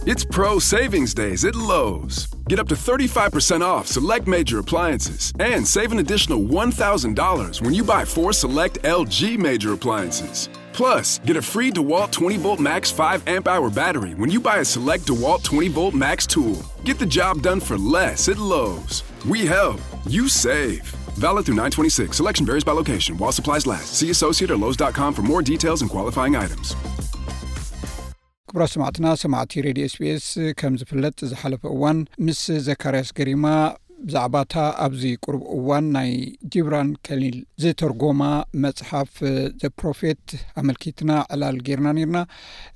It's Pro Savings Days at Lowe's. Get up to thirty-five percent off select major appliances and save an additional one thousand dollars when you buy four select L G major appliances. Plus, get a free DeWalt twenty volt Max five amp hour battery when you buy a select DeWalt twenty volt Max tool. Get the job done for less at Lowe's. We help, you save. Valid through nine twenty-six. Selection varies by location while supplies last. See associate or Lowe's dot com for more details and qualifying items. ክቡራት ሰማዕትና፣ ሰማዕቲ ሬድዮ ኤስቢኤስ፣ ከም ዝፍለጥ ዝሓለፈ እዋን ምስ ዘካርያስ ገሪማ ብዛዕባታ ኣብዚ ቁሩብ እዋን ናይ ጂብራን ከሊል ዝተርጎማ መጽሓፍ ዘ ፕሮፌት ኣመልኪትና ዕላል ጌርና ነርና።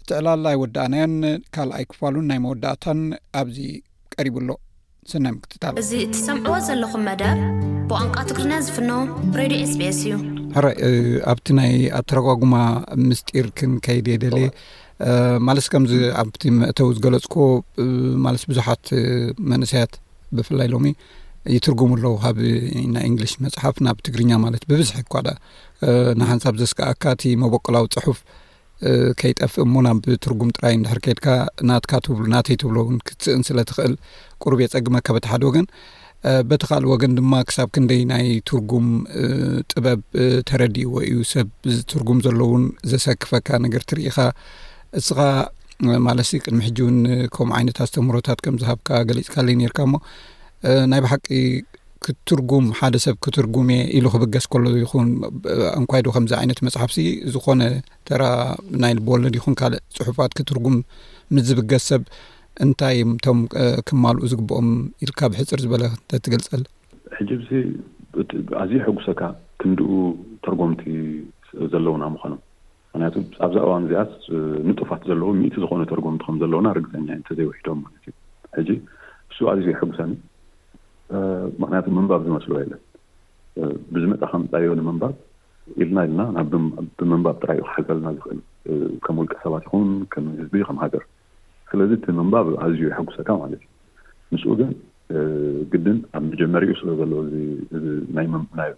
እቲ ዕላል ኣይወዳእናዮን፣ ካልኣይ ክፋሉን ናይ መወዳእታን ኣብዚ ቀሪቡ ኣሎ። ሰናይ ምክትታል። እዚ እትሰምዕዎ ዘለኹም መደብ ብቋንቋ ትግርኛ ዝፍኖ ሬድዮ ኤስቢኤስ እዩ። ሕራይ፣ ኣብቲ ናይ ኣተረጓጉማ ምስጢር ክንከይድ እየ ደልየ። ማለት ከምዚ ኣብቲ መእተዊ ዝገለጽኮ፣ ማለት ብዙሓት መንእሰያት ብፍላይ ሎሚ ይትርጉሙ ኣለዉ፣ ካብ ናይ እንግሊሽ መጽሓፍ ናብ ትግርኛ። ማለት ብብዝሒ እኳ ዳ ንሓንሳብ ዘስከኣካ እቲ መበቆላዊ ጽሑፍ ከይጠፍእ እሞ ናብ ትርጉም ጥራይ እንድሕር ከይድካ ናትካ ትብሉ ናተይ ትብሎ እውን ክትስእን ስለ ትኽእል ቁሩብ የጸግመካ በቲ ሓደ ወገን። በቲ ካልእ ወገን ድማ ክሳብ ክንደይ ናይ ትርጉም ጥበብ ተረዲእዎ እዩ ሰብ። እዚ ትርጉም ዘለውን ዘሰክፈካ ነገር ትርኢኻ እስኻ። ማለትሲ ቅድሚ ሕጂ እውን ከምኡ ዓይነት ኣስተምህሮታት ከም ዝሃብካ ገሊጽካለይ ነርካ እሞ፣ ናይ ብሓቂ ክትርጉም፣ ሓደ ሰብ ክትርጉም እየ ኢሉ ክብገስ ከሎ ይኹን፣ እንኳይ ዶ ከምዚ ዓይነት መጽሓፍሲ ዝኾነ ተራ ናይ ልብወለድ ይኹን ካልእ ጽሑፋት ክትርጉም ምስ ዝብገስ ሰብ እንታይ እዮም እቶም ክማልኡ ዝግብኦም ኢልካ ብሕጽር ዝበለ ተትገልጸል? ሕጂ ብዚ ኣዝዩ ሕጉሰካ ክንድኡ ተርጎምቲ ዘለውና ምዃኖም። ምክንያቱ ኣብዛ እዋን እዚኣስ ንጡፋት ዘለዎ ሚእቲ ዝኾነ ተርጎምቲ ከም ዘለውና ርግፀኛ እንተዘይውሒዶም ማለት እዩ። ሕጂ እሱ ኣዝዩ የሕጉሰኒ። ምክንያቱ ምንባብ ዝመስሎ የለን። ብዝመፃ ከምፃዮ ንምንባብ ኢልና ኢልና ናብ ብምንባብ ጥራይ እዩ ክሓልፈልና ዝኽእል፣ ከም ውልቀ ሰባት ይኹን ከም ህዝቢ ከም ሃገር። ስለዚ እቲ ምንባብ ኣዝዩ የሐጉሰካ ማለት እዩ። ምስኡ ግን ግድን ኣብ መጀመሪኡ ስለ ዘሎ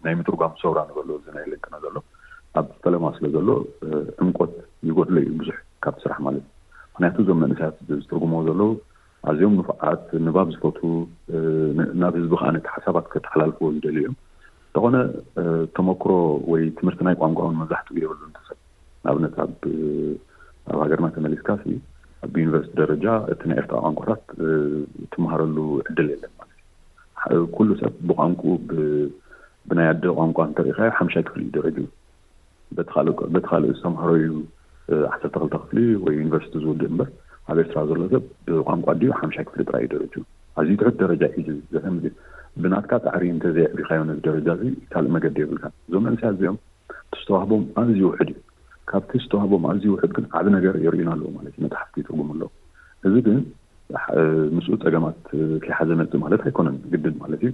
ናይ ምትርጓም ሰውራ ንበሎ እዚ ናይ ልንቅና ዘሎ ኣብ ፈለማ ስለ ዘሎ ዕምቆት ይጎድሎ እዩ ብዙሕ ካብቲ ስራሕ ማለት እዩ። ምክንያቱ እዞም መንእሰያት ዝትርጉምዎ ዘለዉ ኣዝዮም ንፉዓት፣ ንባብ ዝፈቱ፣ ናብ ህዝቢ ከዓ ነቲ ሓሳባት ከተሓላልፍዎ ዝደልዩ እዮም። እንተኾነ ተመክሮ ወይ ትምህርቲ ናይ ቋንቋ እውን መብዛሕትኡ የብሉን። ተሰብ ንኣብነት ኣብ ኣብ ሃገርና ተመሊስካ ሲ ኣብ ዩኒቨርሲቲ ደረጃ እቲ ናይ ኤርትራ ቋንቋታት ትመሃረሉ ዕድል የለን ማለት እዩ። ኩሉ ሰብ ብቋንቁ ብናይ ኣደ ቋንቋ እንተሪኢኻዮ ሓምሻይ ክፍሊ እዩ ደረጅኡ። በቲ ካልእ ዝተምሃሮ እዩ ዓሰርተ ክልተ ክፍሊ ወይ ዩኒቨርሲቲ ዝውድእ እምበር ኣብ ኤርትራ ዘሎ ሰብ ብቋንቋ ድዩ ሓምሻይ ክፍሊ ጥራይ እዩ ደረጅኡ። ኣዝዩ ትሑት ደረጃ እዩ። ዘተምዚ ብናትካ ፃዕሪ እንተዘየዕቢኻዮ ነዚ ደረጃ እዚ ካልእ መገዲ የብልካ። እዞም መንእሰያት እዚኦም እቲ ዝተዋህቦም ኣዝዩ ውሕድ እዩ። ካብቲ ዝተዋህቦም ኣዝዩ ውሕድ ግን ዓቢ ነገር የርእዩና ኣለዉ ማለት እዩ። መጽሓፍቲ ይትርጉሙ ኣለዉ። እዚ ግን ምስኡ ጸገማት ከይሓዘ መጽእ ማለት ኣይኮነን፣ ግድን ማለት እዩ።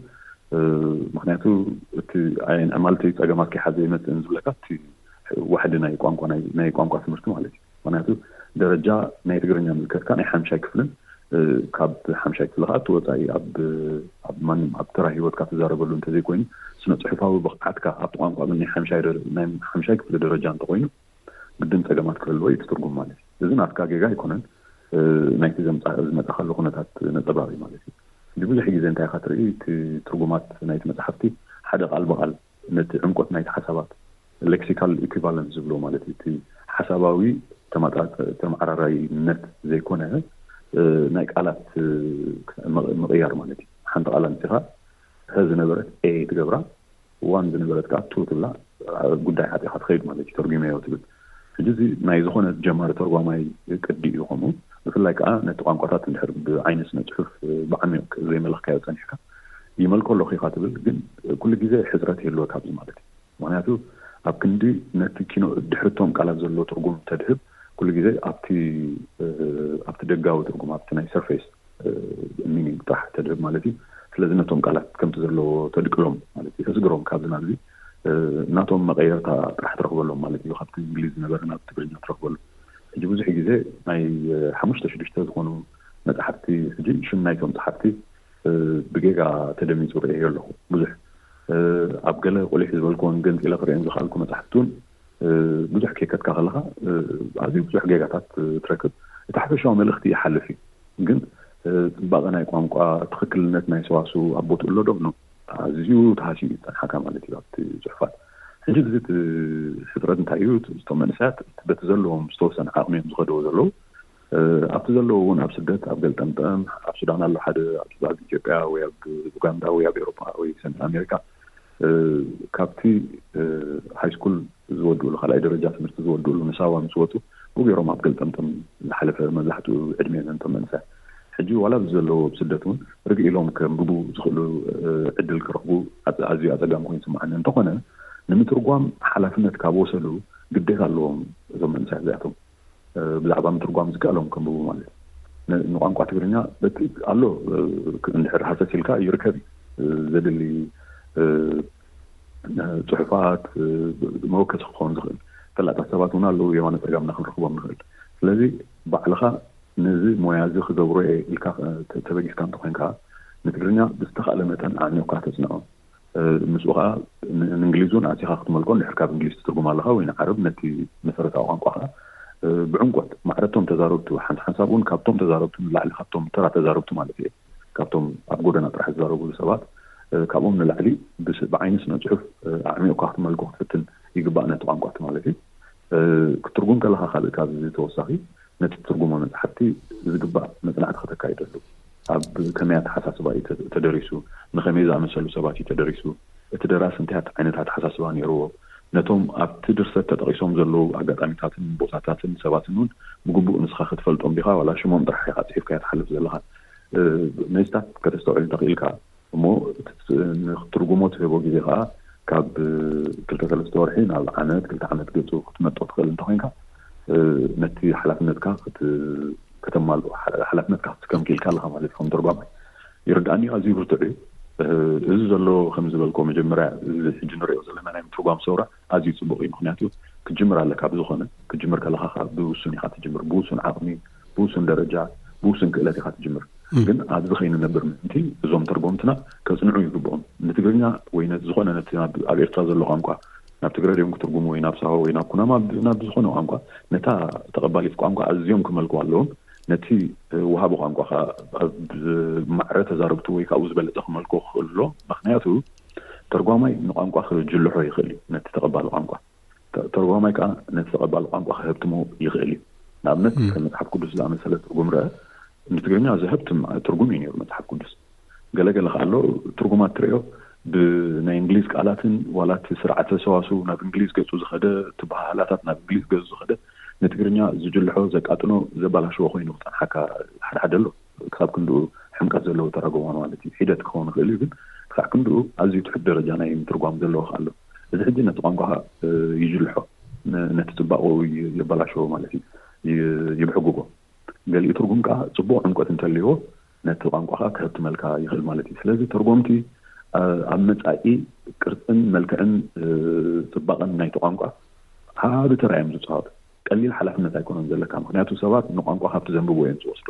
ምክንያቱ እቲ ማለት ጸገማት ከይሓዘ ይመጽእን ዝብለካ እቲ ዋሕዲ ናይ ቋንቋ ናይ ቋንቋ ትምህርቲ ማለት እዩ። ምክንያቱ ደረጃ ናይ ትግርኛ ምልከትካ ናይ ሓምሻይ ክፍልን ካብ ሓምሻይ ክፍሊ ከዓ እቲ ወፃኢ ኣብ ኣብ ማንም ኣብ ተራ ሂወትካ ትዛረበሉ እንተዘይኮይኑ ስነ ፅሑፋዊ ብቕዓትካ ኣብቲ ቋንቋ ግን ናይ ሓምሻይ ደረ- ናይ ሓምሻይ ክፍሊ ደረጃ እንተኮይኑ ግድን ፀገማት ክህልዎ እዩ እቲ ትርጉም ማለት እዩ። እዚ ናትካ ጌጋ ኣይኮነን፣ ናይቲ ዘምፃ ዝመፃካሉ ኩነታት ነፀባሪ ማለት እዩ። እንዲ ብዙሕ ግዜ እንታይ ኢካ ትርኢ እቲ ትርጉማት ናይቲ መፅሓፍቲ ሓደ ቃል ብቃል ነቲ ዕምቆት ናይቲ ሓሳባት ሌክሲካል ኢኩቫለንስ ዝብሎ ማለት እዩ። እቲ ሓሳባዊ ተመጣጣ- ተመዓራራይነት ዘይኮነ ናይ ቃላት ምቕ- ምቕያር ማለት እዩ። ሓንቲ ቃል ኣምፂኻ ሀ ዝነበረት ኤ ትገብራ ዋን ዝነበረት ከዓ ቱ ትብላ ጉዳይ ዓፂኻ ትኸይድ ማለት እዩ። ተርጉመዮ ትብል። ሕጂ እዚ ናይ ዝኾነ ጀማሪ ተርጓማይ ቅዲ እዩ። ከምኡ ብፍላይ ከዓ ነቲ ቋንቋታት እንድሕር ብዓይኒ ስነ ፅሑፍ ብዓሚቕ ዘይመለኽካዮ ፀኒሕካ ይመልኮ ኣለኹ ኢኻ ትብል፣ ግን ኩሉ ግዜ ሕፅረት ይህልወካ ኣብዚ ማለት እዩ። ምክንያቱ ኣብ ክንዲ ነቲ ኪኖ ድሕርቶም ቃላት ዘሎ ትርጉም ተድህብ ኩሉ ግዜ ኣብቲ ኣብቲ ደጋዊ ትርጉም ኣብቲ ናይ ሰርፌስ ሚኒንግ ጥራሕ ተድህብ ማለት እዩ። ስለዚ ነቶም ቃላት ከምቲ ዘለዎ ተድቅሎም ማለት እዩ። ተስግሮም ካብዚ ናብዚ ናቶም መቐየርታ ጥራሕ ትረኽበሎም ማለት እዩ። ካብቲ እንግሊዝ ዝነበረ ናብ ትግርኛ ትረኽበሉ። ሕጂ ብዙሕ ግዜ ናይ ሓሙሽተ ሽዱሽተ ዝኾኑ መፅሓፍቲ ሕጂ ሽም ናይቶም ፀሓፍቲ ብጌጋ ተደሚፁ ርእየ ኣለኹ። ብዙሕ ኣብ ገለ ቁሊሕ ዝበልክዎን ገንፂለ ክርእየን ዝኽኣልኩ መፅሓፍቲ እውን ብዙሕ ከይከትካ ከለካ ኣዝዩ ብዙሕ ጌጋታት ትረክብ። እቲ ሓፈሻዊ መልእኽቲ ይሓልፍ እዩ። ግን ጽባቐ ናይ ቋንቋ፣ ትኽክልነት ናይ ሰዋሱ ኣብ ቦትኡ ኣሎ ዶ? ኣዝዩ ተሃሲኡ እዩ ዝጸንሓካ ማለት እዩ ኣብቲ ጽሑፋት። ሕጂ እዚ እቲ ሕጽረት እንታይ እዩ? እቶም መንእሰያት በቲ ዘለዎም ዝተወሰነ ዓቕሚ እዮም ዝኸድዎ ዘለዉ። ኣብቲ ዘለዉ እውን ኣብ ስደት፣ ኣብ ገልጠምጠም፣ ኣብ ሱዳን ኣሎ ሓደ፣ ኣብ ኢትዮጵያ ወይ ኣብ ኡጋንዳ ወይ ኣብ ኤሮፓ ወይ ሰሜን ኣሜሪካ፣ ካብቲ ሃይስኩል ዝወድእሉ፣ ካልኣይ ደረጃ ትምህርቲ ዝወድእሉ ንሳዋ ምስ ወፁ፣ ብገይሮም ኣብ ገልጠምጠም ዝሓለፈ መብዛሕትኡ ዕድሜ ነንቶም መንእሰያት። ሕጂ ዋላ ኣብዚ ዘለዉ ኣብ ስደት እውን ርግእ ኢሎም ከንብቡ ዝኽእሉ ዕድል ክረኽቡ ኣዝዩ ኣፀጋሚ ኮይኑ ይስምዓኒ። እንተኾነ ንምትርጓም ሓላፍነት ካብ ወሰዱ ግዴታ ኣለዎም እዞም መንእሰያት እዚኣቶም። ብዛዕባ ምትርጓም ዝከኣሎም ከንብቡ ማለት እዩ። ንቋንቋ ትግርኛ በቲ ኣሎ፣ እንድሕር ሃሰስ ኢልካ ይርከብ እዩ። ዘድሊ ፅሑፋት፣ መወከሲ ክኸውን ዝኽእል ፈላጣት ሰባት እውን ኣለዉ፣ የማነ ፀጋምና ክንረኽቦም ንኽእል። ስለዚ ባዕልኻ ነዚ ሞያ እዚ ክገብሮ እየ ኢልካ ተበጊስካ እንተኾይንካ፣ ንትግርኛ ብዝተኻእለ መጠን ኣዕሚቑካ ተፅንዖ። ምስኡ ከዓ ንእንግሊዝ እውን ኣሲኻ ክትመልኮ፣ እንድሕር ካብ እንግሊዝ ትትርጉም ኣለኻ ወይ ንዓረብ፣ ነቲ መሰረታዊ ቋንቋ ከዓ ብዕምቆት ማዕረቶም ተዛረብቱ፣ ሓንሳብ እውን ካብቶም ተዛረብቱ ንላዕሊ፣ ካብቶም ተራ ተዛረብቱ ማለት እየ፣ ካብቶም ኣብ ጎደና ጥራሕ ዝዛረብሉ ሰባት፣ ካብኦም ንላዕሊ ብዓይኒ ስነ ፅሑፍ ኣዕሚቑካ ክትመልኮ ክትፍትን ይግባእ ነቲ ቋንቋ ማለት እዩ። ክትርጉም ከለኻ ካልእ ካብዚ ተወሳኺ ነቲ ትርጉሞ መፅሓፍቲ ዝግባእ መፅናዕቲ ከተካይደሉ፣ ኣብ ከመይ ኣተሓሳስባ እዩ ተደሪሱ፣ ንኸመይ ዝኣመሰሉ ሰባት እዩ ተደሪሱ፣ እቲ ደራሲ እንታይ ዓይነት ኣተሓሳስባ ነይርዎ፣ ነቶም ኣብቲ ድርሰት ተጠቒሶም ዘለዉ ኣጋጣሚታትን ቦታታትን ሰባትን እውን ብግቡእ ንስኻ ክትፈልጦም ዲኻ፣ ዋላ ሽሞም ጥራሕ ኢኻ ፅሒፍካዮ ትሓልፍ ዘለኻ። ነዚታት ከተስተውዕል እንተኽኢልካ እሞ ክትርጉሞ ትህቦ ግዜ ከዓ ካብ ክልተ ሰለስተ ወርሒ ናብ ዓመት፣ ክልተ ዓመት ገፁ ክትመጦ ትኽእል እንተኾይንካ፣ ነቲ ሓላፍነትካ ከተማልኦ፣ ሓላፍነትካ ክትስከም ክኢልካ ኣለካ ማለት እዩ። ከም ተርጓማይ ይርዳእኒ፣ ኣዝዩ ብርቱዕ እዩ። እዚ ዘሎ ከም ዝበልኮ መጀመርያ፣ እዚ ሕጂ ንሪኦ ዘለና ናይ ምትርጓም ሰውራ ኣዝዩ ፅቡቅ እዩ። ምክንያቱ ክትጅምር ኣለካ፣ ብዝኾነ ክትጅምር ከለካ ብውሱን ኢካ ትጅምር፣ ብውሱን ዓቅሚ፣ ብውሱን ደረጃ፣ ብውሱን ክእለት ኢካ ትጅምር። ግን ኣብዚ ከይንነብር ምእንቲ እዞም ተርጎምትና ከጽንዑ ይግብኦም። ንትግርኛ ወይ ነቲ ዝኾነ ነቲ ኣብ ኤርትራ ዘሎ ቋንቋ ናብ ትግረ ድዮም ክትርጉሙ ወይ ናብ ሳሆ ወይ ናብ ኩናማ ናብ ዝኾነ ቋንቋ፣ ነታ ተቐባሊት ቋንቋ ኣዝዮም ክመልክዋ ኣለዎም። ነቲ ወሃቢ ቋንቋ ከዓ ኣብ ማዕረ ተዛረብቱ ወይ ካብኡ ዝበለጸ ክመልክዎ ክኽእል ኣለዎ። ምክንያቱ ተርጓማይ ንቋንቋ ክጅልሖ ይኽእል እዩ፣ ነቲ ተቐባሊ ቋንቋ። ተርጓማይ ከዓ ነቲ ተቐባሊ ቋንቋ ክህብትሞ ይኽእል እዩ። ንኣብነት ከም መጽሓፍ ቅዱስ ዝኣመሰለ ትርጉም ረአ፣ ንትግርኛ ዘህብትም ትርጉም እዩ ነይሩ መጽሓፍ ቅዱስ። ገለገለ ከዓ ኣሎ ትርጉማት ትርእዮ ብናይ እንግሊዝ ቃላትን ዋላ እቲ ስርዓተ ሰዋስው ናብ እንግሊዝ ገጹ ዝኸደ፣ እቲ በሃህላታት ናብ እንግሊዝ ገጹ ዝኸደ፣ ንትግርኛ ዝጅልሖ፣ ዘቃጥኖ፣ ዘባላሽዎ ኮይኑ ክጸንሓካ ሓድሓደ ኣሎ። ክሳብ ክንድኡ ሕምቀት ዘለዎ ተረጎማ ማለት እዩ። ሒደት ክኸውን ይኽእል እዩ፣ ግን ክሳዕ ክንድኡ ኣዝዩ ትሑት ደረጃ ናይ ምትርጓም ዘለዎ ኣሎ። እዚ ሕጂ ነቲ ቋንቋ ይጅልሖ፣ ነቲ ጽባቕኡ የበላሽዎ ማለት እዩ፣ ይብሕግጎ። ገሊኡ ትርጉም ከዓ ጽቡቕ ዕምቆት እንተልይዎ ነቲ ቋንቋ ከዓ ክህብትመልካ ይኽእል ማለት እዩ። ስለዚ ተርጎምቲ ኣብ መጻኢ ቅርጽን መልክዕን ጽባቕን ናይቲ ቋንቋ ዓቢ ተራ እዮም ዝጻወቱ። ቀሊል ሓላፍነት ኣይኮነን ዘለካ፣ ምክንያቱ ሰባት ንቋንቋ ካብቲ ዘንብብዎ እዮም ዝወስዶ።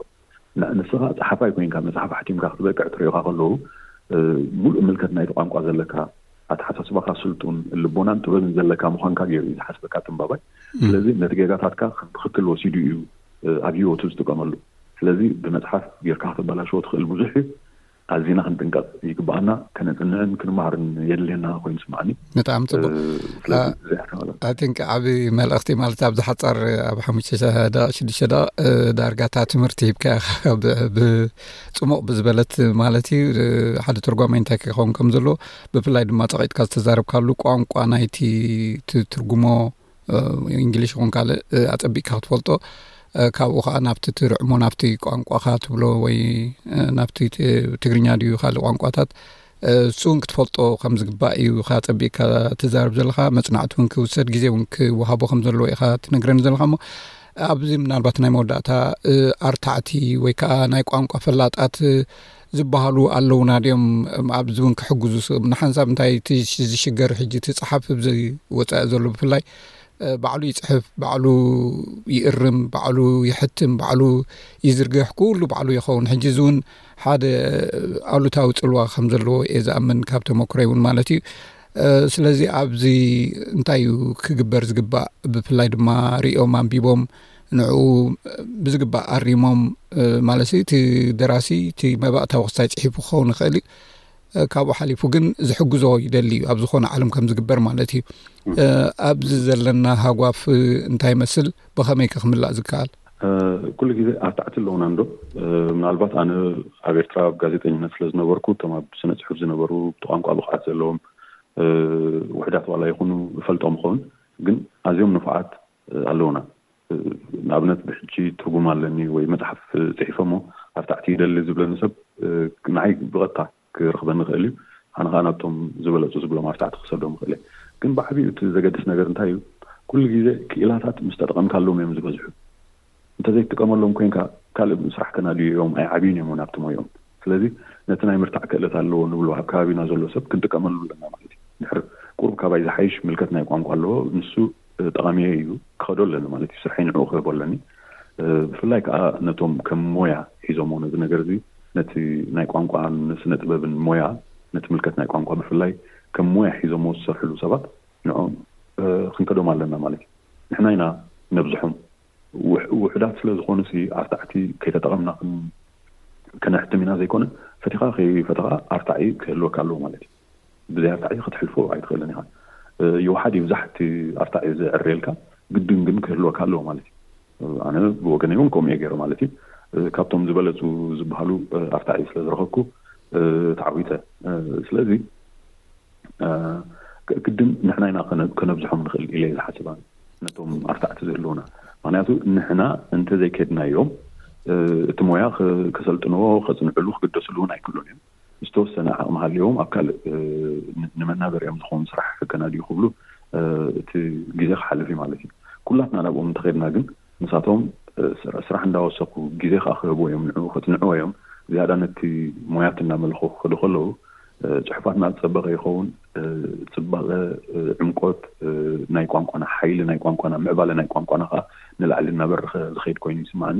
ንስኻ ጸሓፋይ ኮይንካ መጽሓፍ ሓቲምካ ክትበቅዕ ትሪኦካ ከለዉ፣ ሙሉእ ምልከት ናይቲ ቋንቋ ዘለካ፣ ኣተሓሳስባኻ ስልጡን፣ ልቦናን ጥበብን ዘለካ ምዃንካ ገይሩ እዩ ዝሓስበካ ተንባባይ። ስለዚ ነቲ ጌጋታትካ ከም ትኽክል ወሲዱ እዩ ኣብ ህይወቱ ዝጥቀመሉ። ስለዚ ብመጽሓፍ ጌርካ ከተበላሽዎ ትኽእል ብዙሕ እዩ። ኣዚና ክንጥንቀቕ ይግባኣና። ከነጽንዕን ክንመሃርን የድልየና ኮይኑ ስምዓኒ። ብጣዕሚ ጽቡቕ። ስለዚ እዚኣ ተመላ- I think ዓቢ መልእኽቲ ማለት ኣብዚ ሓጻር ኣብ ሓሙሽተ ደቂቕ ሽዱሽተ ደቂቕ ዳርጋ እታ ትምህርቲ ሂብካ ኢኻ ብጽሙቕ ብዝበለት ማለት እዩ። ሓደ ተርጓማይ እንታይ ክኸውን ከም ዘለዎ ብፍላይ ድማ ጸቒጥካ ዝተዛረብካሉ ቋንቋ ናይቲ ትርጉሞ እንግሊሽ ይኹን ካልእ ኣጸቢቕካ ክትፈልጦ፣ ካብኡ ከዓ ናብቲ ትርዕሞ ናብቲ ቋንቋኻ ትብሎ ወይ ናብቲ ትግርኛ ድዩ ካልእ ቋንቋታት እሱ እውን ክትፈልጦ ከም ዝግባእ እዩ። ከኣ ጸቢቕካ ትዛረብ ዘለኻ፣ መጽናዕቲ እውን ክውሰድ ግዜ እውን ክወሃቦ ከም ዘለዎ ኢኻ ትነግረኒ ዘለኻ። እሞ ኣብዚ ምናልባት ናይ መወዳእታ ኣርታዕቲ ወይ ከዓ ናይ ቋንቋ ፈላጣት ዝበሃሉ ኣለውና ድዮም? ኣብዚ እውን ክሕግዙ ንሓንሳብ እንታይ ዝሽገር ሕጂ እቲ ጸሓፊ ብዘይ ወጻኢ ዘሎ ብፍላይ ባዕሉ ይጽሕፍ፣ ባዕሉ ይእርም፣ ባዕሉ ይሕትም፣ ባዕሉ ይዝርግሕ፣ ኩሉ ባዕሉ ይኸውን። ሕጂ እዚ እውን ሓደ ኣሉታዊ ጽልዋ ከም ዘለዎ እየ ዝኣምን፣ ካብ ተመክሮይ እውን ማለት እዩ። ስለዚ ኣብዚ እንታይ እዩ ክግበር ዝግባእ? ብፍላይ ድማ ሪኦም ኣንቢቦም ንዕኡ ብዝግባእ ኣሪሞም፣ ማለት እቲ ደራሲ እቲ መባእታዊ ክስታይ ጽሒፉ ክኸውን ይኽእል እዩ። ካብኡ ሓሊፉ ግን ዝሕግዞ ይደሊ እዩ፣ ኣብ ዝኾነ ዓለም ከም ዝግበር ማለት እዩ። ኣብዚ ዘለና ሃጓፍ እንታይ ይመስል? ብኸመይ ከ ክምላእ ዝከኣል? ኩሉ ግዜ ኣርታዕቲ ኣለውና እንዶ? ምናልባት ኣነ ኣብ ኤርትራ ኣብ ጋዜጠኝነት ስለ ዝነበርኩ፣ እቶም ኣብ ስነ ጽሑፍ ዝነበሩ፣ ብቲ ቋንቋ ብቕዓት ዘለዎም ውሕዳት ዋላ ይኹኑ እፈልጦም ይኸውን፣ ግን ኣዝዮም ንፉዓት ኣለውና። ንኣብነት ብሕጂ ትርጉም ኣለኒ ወይ መጽሓፍ ጽሒፈ እሞ ኣርታዕቲ ይደሊ ዝብለኒ ሰብ ንዓይ ብቐጥታ ክረኽበኒ ይኽእል እዩ። ኣነ ከዓ ናብቶም ዝበለጹ ዝብሎም ኣርታዕቲ ክሰዶም ይኽእል እየ። ግን ብዓቢኡ እቲ ዘገድስ ነገር እንታይ እዩ? ኩሉ ግዜ ክኢላታት ምስ ተጠቐምካሎም እዮም ዝበዝሑ። እንተዘይትጥቀመሎም ኮይንካ ካልእ ስራሕ ከናድዩ እዮም፣ ኣይዓብዩን እዮም እውን ኣብቲ ሞይኦም። ስለዚ ነቲ ናይ ምርታዕ ክእለት ኣለዎ ንብሎ ኣብ ከባቢና ዘሎ ሰብ ክንጥቀመሉ ኣለና ማለት እዩ። ድሕር ቁሩብ ካባይ ዝሓይሽ ምልከት ናይ ቋንቋ ኣለዎ፣ ንሱ ጠቓሚየ እዩ ክኸዶ ኣለኒ ማለት እዩ። ስርሐይ ንዕኡ ክህቦ ኣለኒ። ብፍላይ ከዓ ነቶም ከም ሞያ ሒዞሞ ነዚ ነገር እዚ፣ ነቲ ናይ ቋንቋን ስነ ጥበብን ሞያ፣ ነቲ ምልከት ናይ ቋንቋ ብፍላይ ከም ሞያ ሒዞሞ ዝሰርሕሉ ሰባት ንዕኦም ክንከዶም ኣለና ማለት እዩ። ንሕና ኢና ነብዝሖም። ውሕ- ውሑዳት ስለ ዝኾኑ ሲ ኣርታዕቲ ከይተጠቐምና ክን- ከነሕትም ኢና ዘይኮነ፣ ፈቲኻ ከይፈተኻ ኣርታዒ ክህልወካ ኣለዎ ማለት እዩ። ብዘይ ኣርታዒ ክትሕልፎ ኣይትኽእልን ኢኻ። ይውሓድ ይብዛሕ እቲ ኣርታዒ ዝዕረየልካ፣ ግድን ግን ክህልወካ ኣለዎ ማለት እዩ። ኣነ ብወገነይ እውን ከምኡ እየ ገይረ ማለት እዩ። ካብቶም ዝበለፁ ዝበሃሉ ኣርታዒ ስለ ዝረኸብኩ ተዓዊተ። ስለዚ ግድን ንሕና ኢና ከነብዝሖም ንኽእል ኢለ ዝሓስብ ነቶም ኣርታዕቲ ዝህልውና። ምክንያቱ ንሕና እንተዘይከድናዮም እቲ ሞያ ከሰልጥንዎ፣ ከፅንዕሉ፣ ክግደስሉ እውን ኣይክእሉን እዮም። ዝተወሰነ ዓቕሚ ሃልዎም ኣብ ካልእ ንመናበሪኦም ዝኸውን ስራሕ ከናድዩ ክብሉ እቲ ግዜ ክሓልፍ እዩ ማለት እዩ። ኩላትና ናብኦም እንተኸድና ግን ንሳቶም ስራሕ እንዳወሰኩ ግዜ ከዓ ክህቡ እዮም፣ ንዑ ከፅንዕዎ እዮም። ዝያዳ ነቲ ሞያት እናመልኹ ክኸዱ ከለዉ ፅሑፋትና ዝፀበቐ ይኸውን። ፅባቐ፣ ዕምቆት ናይ ቋንቋና፣ ሓይሊ ናይ ቋንቋና፣ ምዕባለ ናይ ቋንቋና ከዓ ንላዕሊ እናበረኸ ዝኸይድ ኮይኑ ይስማዕኒ።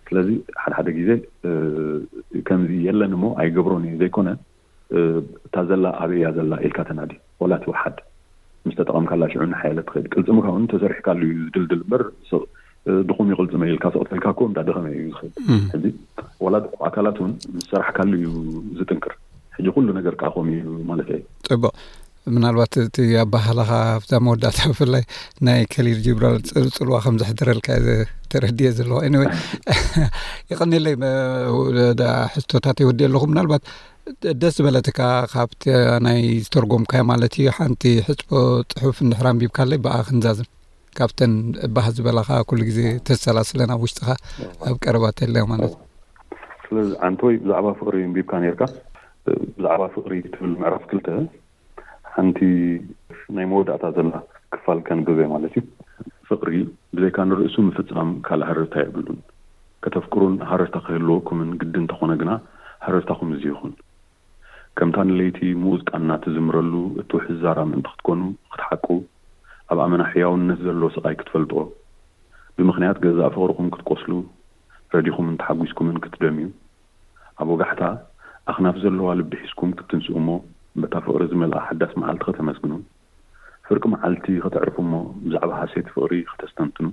ስለዚ ሓደ ሓደ ግዜ ከምዚ የለን እሞ ኣይገብሮን እየ ዘይኮነ፣ እታ ዘላ ኣበይ እያ ዘላ ኢልካ ተናዲ። ወላ ትውሓድ ምስ ተጠቐምካላ ሽዑ እናሓየለት ትኸይድ። ቅልፅምካ እውን ተሰሪሕካሉ እዩ ዝድልድል እምበር ድኹም ይቕልፅመ ኢልካ ስቕ ተልካ እኮ እንዳደኸመ እዩ ዝኸይድ። ሕዚ ወላ ድቁ ኣካላት እውን ምስ ሰራሕካሉ እዩ ዝጥንክር። ሕጂ ኩሉ ነገር ከዓ ከምኡ እዩ ማለት እዩ። ፅቡቕ። ምናልባት እቲ ኣባህላኻ ኣብዛ መወዳእታ ብፍላይ ናይ ከሊል ጅብራል ፅልዋ ከም ዘሕደረልካ ተረድየ ዘለኹ። Anyway፣ ይቐኒለይ። ሕቶታት ይወዲ ኣለኹ። ምናልባት ደስ ዝበለትካ ካብቲ ናይ ዝተርጎምካዮ ማለት እዩ ሓንቲ ሕፅቦ ፅሑፍ እንድሕር ኣንቢብካለይ ብኣ ክንዛዝም። ካብተን ባህ ዝበላኻ ኩሉ ግዜ ተሰላስለን ኣብ ውሽጥኻ ኣብ ቀረባ ተለዮ ማለት እዩ። ስለዚ ዓንቶይ ብዛዕባ ፍቕሪ እንቢብካ ነርካ። ብዛዕባ ፍቕሪ ትብል ምዕራፍ ክልተ ሓንቲ ናይ መወዳእታ ዘላ ክፋል ከንብበ ማለት እዩ። ፍቕሪ ብዘይካ ንርእሱ ምፍጻም ካልእ ሃረርታ የብሉን። ከተፍቅሩን ሃረርታ ክህልወኩምን ግዲ እንተኾነ ግና ሃረርታኹም እዚ ይኹን። ከምታ ንለይቲ ምኡዝ ቃና ትዝምረሉ እትውሕዝ ዛራ ምእንቲ ክትኮኑ ክትሓቁ፣ ኣብ ኣመና ሕያውነት ዘሎ ስቓይ ክትፈልጥዎ፣ ብምኽንያት ገዛእ ፍቕርኹም ክትቆስሉ፣ ረዲኹምን ተሓጒስኩምን ክትደምዩ፣ ኣብ ወጋሕታ ኣኽናፍ ዘለዋ ልቢ ሒዝኩም ክትትንስኡ እሞ በታ ፍቕሪ ዝመልኣ ሓዳስ መዓልቲ ከተመስግኑ፣ ፍርቂ መዓልቲ ከተዕርፉ እሞ ብዛዕባ ሃሴት ፍቕሪ ከተስተንትኑ፣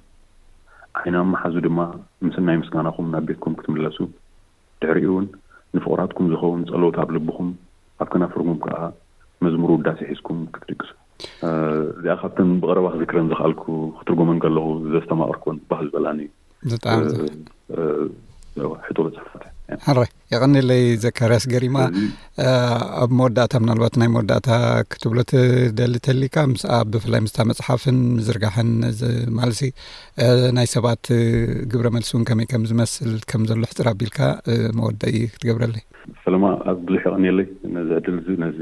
ዓይኒ ኣብ መሓዙ ድማ ምስናይ ምስጋናኹም ናብ ቤትኩም ክትምለሱ፣ ድሕሪኡ እውን ንፍቑራትኩም ዝኸውን ጸሎት ኣብ ልብኹም ኣብ ከናፍርኩም ከኣ መዝሙር ውዳሴ ሒዝኩም ክትድቅሱ። እዚኣ ካብተን ብቐረባ ክዝክረን ዝኽኣልኩ ክትርጎመን ከለኹ ዘስተማቐርኩን ባህ ዝበላኒ ብጣዕሚ ሕቶ በጽሕፋት። ሕራይ የቐኒለይ ዘካርያስ ገሪማ። ኣብ መወዳእታ ምናልባት ናይ መወዳእታ ክትብሎ ትደሊ ተሊካ ምስኣ ብፍላይ ምስታ መፅሓፍን ምዝርጋሕን ማለሲ ናይ ሰባት ግብረ መልሲ እውን ከመይ ከም ዝመስል ከም ዘሎ ሕፅር ኣቢልካ መወደኢ ክትገብረለይ። ሰለማ ኣብ ብዙሕ የቐኒየለይ ነዚ ዕድል እዚ ነዚ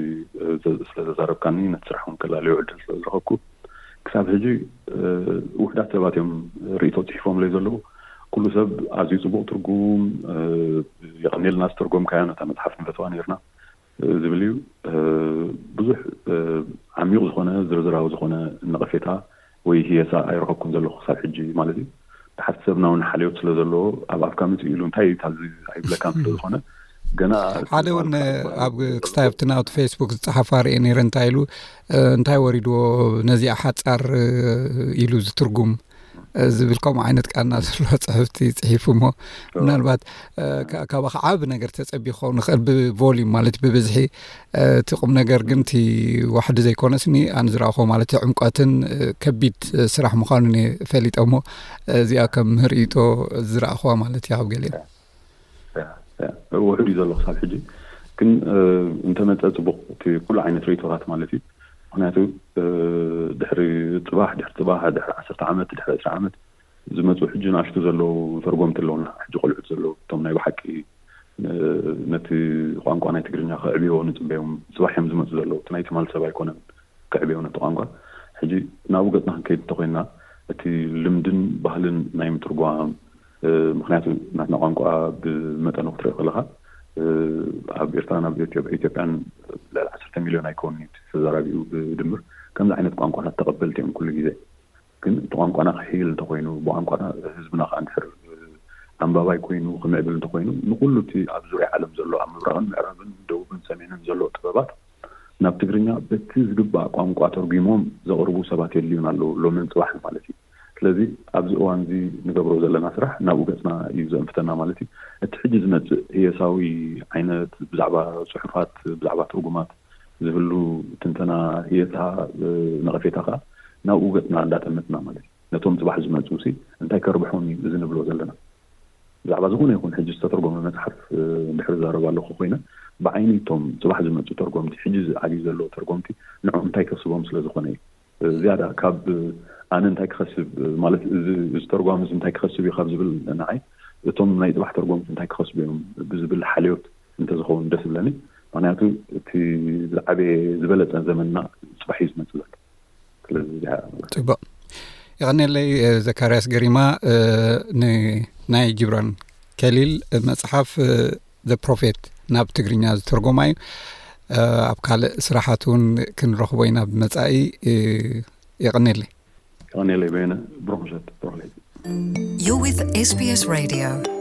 ስለዘዛረብካኒ ነቲ ስራሕ እውን ከላለዮ ዕድል ስለዝረኸብኩ። ክሳብ ሕጂ ውሕዳት ሰባት እዮም ርእቶ ፅሒፎምለይ ዘለዉ። ኩሉ ሰብ ኣዝዩ ፅቡቕ ትርጉም፣ የቐኒልና ዝተርጎምካዮ፣ ነታ መፅሓፍ ንፈትዋ ነርና ዝብል እዩ። ብዙሕ ዓሚቕ ዝኾነ ዝርዝራዊ ዝኾነ ነቐፌታ ወይ ህየሳ ኣይረኸብኩን ዘለኹ ክሳብ ሕጂ ማለት እዩ። ሓንቲ ሰብና እውን ሓልዮት ስለ ዘለዎ ኣብ ኣፍካ ምፅእ ኢሉ እንታይ እዩ ታዚ ኣይብለካን ስለ ዝኾነ ገና ሓደ እውን ኣብ ክስታይ ኣብቲ ናብቲ ፌስቡክ ዝፀሓፋ ርኤ ነይረ እንታይ ኢሉ እንታይ ወሪድዎ ነዚኣ ሓፃር ኢሉ ዝትርጉም ዝብል ከምኡ ዓይነት ቃና ዘለዎ ጽሕፍቲ ጽሒፉ እሞ፣ ምናልባት ካባኻ ዓብ ነገር ተጸቢ ክኸውን ንኽእል፣ ብቮሊም ማለት ብብዝሒ። እቲ ቁም ነገር ግን እቲ ዋሕዲ ዘይኮነስኒ ኣን ዝረእኹ ማለት ዕምቀትን ከቢድ ስራሕ ምዃኑን ፈሊጠ እሞ፣ እዚኣ ከም ምህርኢቶ ዝረእኹዋ ማለት እያ ኣብ ገሊኦም። ውሕድ እዩ ዘሎ ክሳብ ሕጂ። ግን እንተመፀ ፅቡቕ እቲ ኩሉ ዓይነት ርእቶታት ማለት እዩ። ምክንያቱ ድሕሪ ፅባሕ ድሕሪ ፅባሕ ድሕሪ ዓሰርተ ዓመት ድሕሪ ዕስራ ዓመት ዝመፁ ሕጂ ንኣሽቱ ዘለዉ ተርጎምቲ ኣለውና። ሕጂ ቆልዑት ዘለዉ እቶም ናይ ብሓቂ ነቲ ቋንቋ ናይ ትግርኛ ከዕብዮ ንፅበዮም። ፅባሕ እዮም ዝመፁ ዘለዉ። እቲ ናይ ትማል ሰብ ኣይኮነን ከዕብዮ ነቲ ቋንቋ። ሕጂ ናብኡ ገፅና ክንከይድ እንተኮይንና እቲ ልምድን ባህልን ናይ ምትርጓም፣ ምክንያቱ ናትና ቋንቋ ብመጠኑ ክትሪኦ ከለካ ኣብ ኤርትራን ኣብ ኢትዮጵያን ልዕሊ ዓሰርተ ሚልዮን ኣይከውን ተዘራቢኡ ብድምር። ከምዚ ዓይነት ቋንቋታት ተቐበልቲ እዮም ኩሉ ግዜ። ግን እቲ ቋንቋና ክሕይል እንተኮይኑ፣ ብቋንቋና ህዝብና ከዓ እንድሕር ኣንባባይ ኮይኑ ክምዕብል እንተኮይኑ፣ ንኩሉ እቲ ኣብ ዙርያ ዓለም ዘሎ ኣብ ምብራቕን ምዕራብን ደቡብን ሰሜንን ዘሎ ጥበባት ናብ ትግርኛ በቲ ዝግባእ ቋንቋ ተርጒሞም ዘቕርቡ ሰባት የድልዩና ኣለዉ፣ ሎምን ፅባሕን ማለት እዩ። ስለዚ ኣብዚ እዋን እዚ ንገብሮ ዘለና ስራሕ ናብኡ ገፅና እዩ ዘእንፍተና ማለት እዩ። እቲ ሕጂ ዝመፅእ ህየሳዊ ዓይነት ብዛዕባ ፅሑፋት ብዛዕባ ትርጉማት ዝህሉ ትንተና ህየሳ ነቐፌታ ከዓ ናብኡ ገፅና እንዳጠመትና ማለት እዩ። ነቶም ፅባሕ ዝመፅኡ ሲ እንታይ ከርብሖም እዩ እዚ ንብሎ ዘለና? ብዛዕባ ዝኾነ ይኹን ሕጂ ዝተተርጎመ መፅሓፍ እንድሕር ዝዛረብ ኣለኹ ኮይነ ብዓይኒ እቶም ፅባሕ ዝመፁ ተርጎምቲ ሕጂ ዝዓብዩ ዘለዉ ተርጎምቲ ንዕኦም እንታይ ከስቦም ስለ ዝኾነ እዩ። ዝያዳ ካብ ኣነ እንታይ ክኸስብ ማለት እዚ ተርጓሚ እዚ እንታይ ክኸስብ እዩ ካብ ዝብል ንዓይ እቶም ናይ ፅባሕ ተርጎምቲ እንታይ ክኸስቡ እዮም ብዝብል ሓልዮት እንተዝኸውን ደስ ይብለኒ። ምክንያቱ እቲ ዝዓበየ ዝበለፀ ዘመንና ፅባሕ እዩ ዝመፅእ ዘሎ። ስለዚ እዚኣ ፅቡቕ። የቐኔለይ ዘካርያስ ገሪማ። ንናይ ጅብራን ከሊል መፅሓፍ ዘ ፕሮፌት ናብ ትግርኛ ዝተርጎማ እዩ። ኣብ ካልእ ስራሓት እውን ክንረኽቦ ኢና ብመፃኢ። የቐኔለይ። የቐኔለይ በየነ። ብሩኽ ምሸት፣ ብሩኽ ለይቲ። You're with SBS Radio.